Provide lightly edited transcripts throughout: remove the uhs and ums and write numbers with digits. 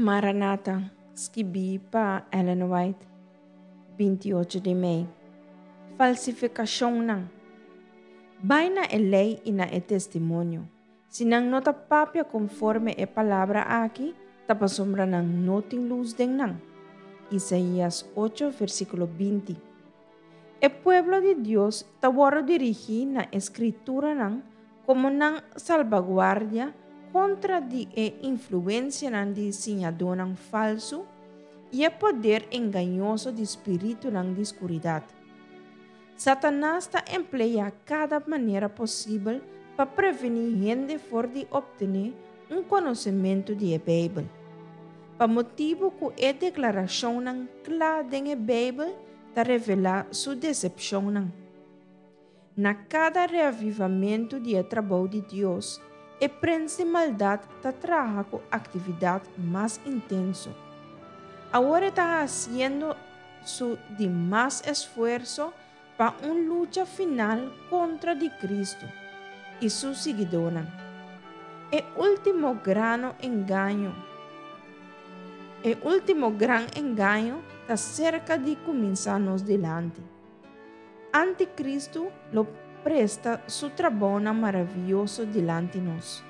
Maranata, skibí pa Ellen White, 28 di mei. Falsifikashonnan. Bai na e lei i na e testimonio. Si nan no ta papia konforme e palabra aki, ta pasobra nan no tin lus den nan. Isaías 8, versíkulo 20. E pueblo di Dios ta wòrdu dirigí na e Skrituranan komo nan salbaguardia kontra di e influensianan di siñadónan falsu i e poder engañoso di spiritunan di skuridat. Satanas ta empleá kada manera posibel pa prevení hende for di optené un konosementu di e Beibel. Pa motibu ku e deklarashonnan kla den e Beibel ta revelá su desepshonnan. Na kada reavivamentu di e trabou di Dios, e prens di maldat ta traha ku aktividat mas intenso. Awor e ta hasiendo su di mas esfuerso pa un lucha final kontra di Kristu i su siguidónan. E último grano engaño E último gran engaño ta serka di kuminsá nos dilanti. Antikristu lo presta su trabounan maravioso dilanti nos.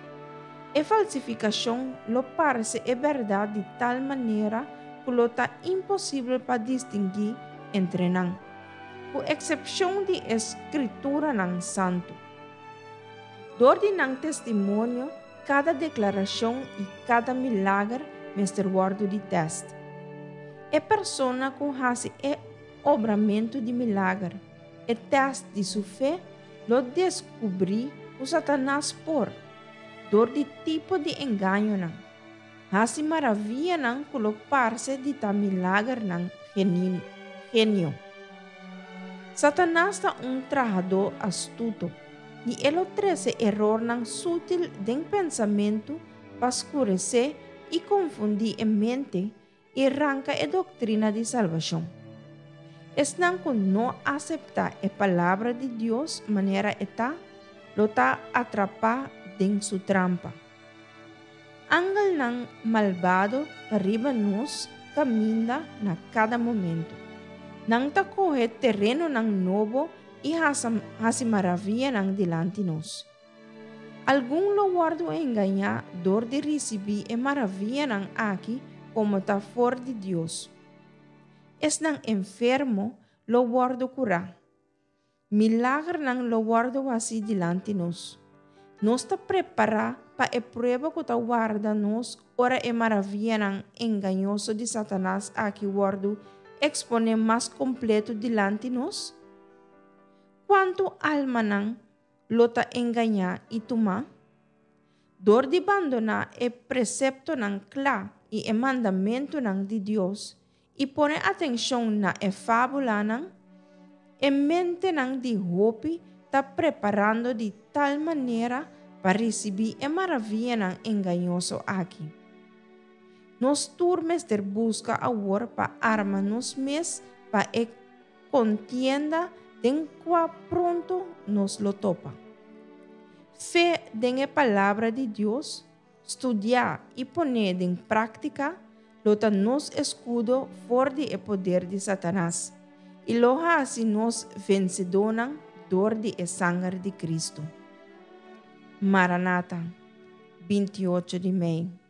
E falsifikashon lo parse e bèrdat di tal manera ku lo ta imposibel pa distinguí entre nan, ku eksepshon di e Skrituranan Santu. Dor di nan testimonio, kada deklarashon i kada milager mester wòrdu di tèst. E persona ku hasi e obramentu di milager, e tèst di su fe, lo deskubrí ku Satanas por, dor di tipo di engañonan, hasi maravianan ku lo parse di ta milagernan genio. Satanas ta un trahadó astuto, i e lo trese erornan sutil den pensamentu pa skuresé i konfundí e mente i ranka e doktrina di salbashon. Esnan ku no aseptá e Palabra di Dios manera e ta, lo ta atrapá den su trampa. Angelnan malbado ta riba nos kaminda na kada momentu. Nan ta kohe terenonan nobo i hasi maravianan dilanti nos. Algun lo wòrdu engañá dor di risibí e maravianan aki komo ta for di Dios. Esnan enfermo lo wòrdu kurá. Milagernan lo wòrdu hasí dilanti nos. Nos ta prepará pa e prueba ku ta warda nos ora e maravianan engañoso di Satanas aki wòrdu eksponé mas kompletu dilanti nos? Kuantu almanan lo ta engañá i tumá? Dor di bandoná e preseptonan kla i e mandamentunan di Dios i pone atenshon na e fábulanan, e mentenan di hopi ta preparando di tal manera pa risibí e maravianan engañoso aki. Nos tur mester buska awor pa arma nos mes pa e Kontienda den kua pronto nos lo topa. Fe den e Palabra di Dios, studiá i pon'é den práktika, lo ta nos eskudo for di e poder di Satanas i lo hasi nos vensedónan dor di e sanger di Kristu. Maranata, 28 di mei.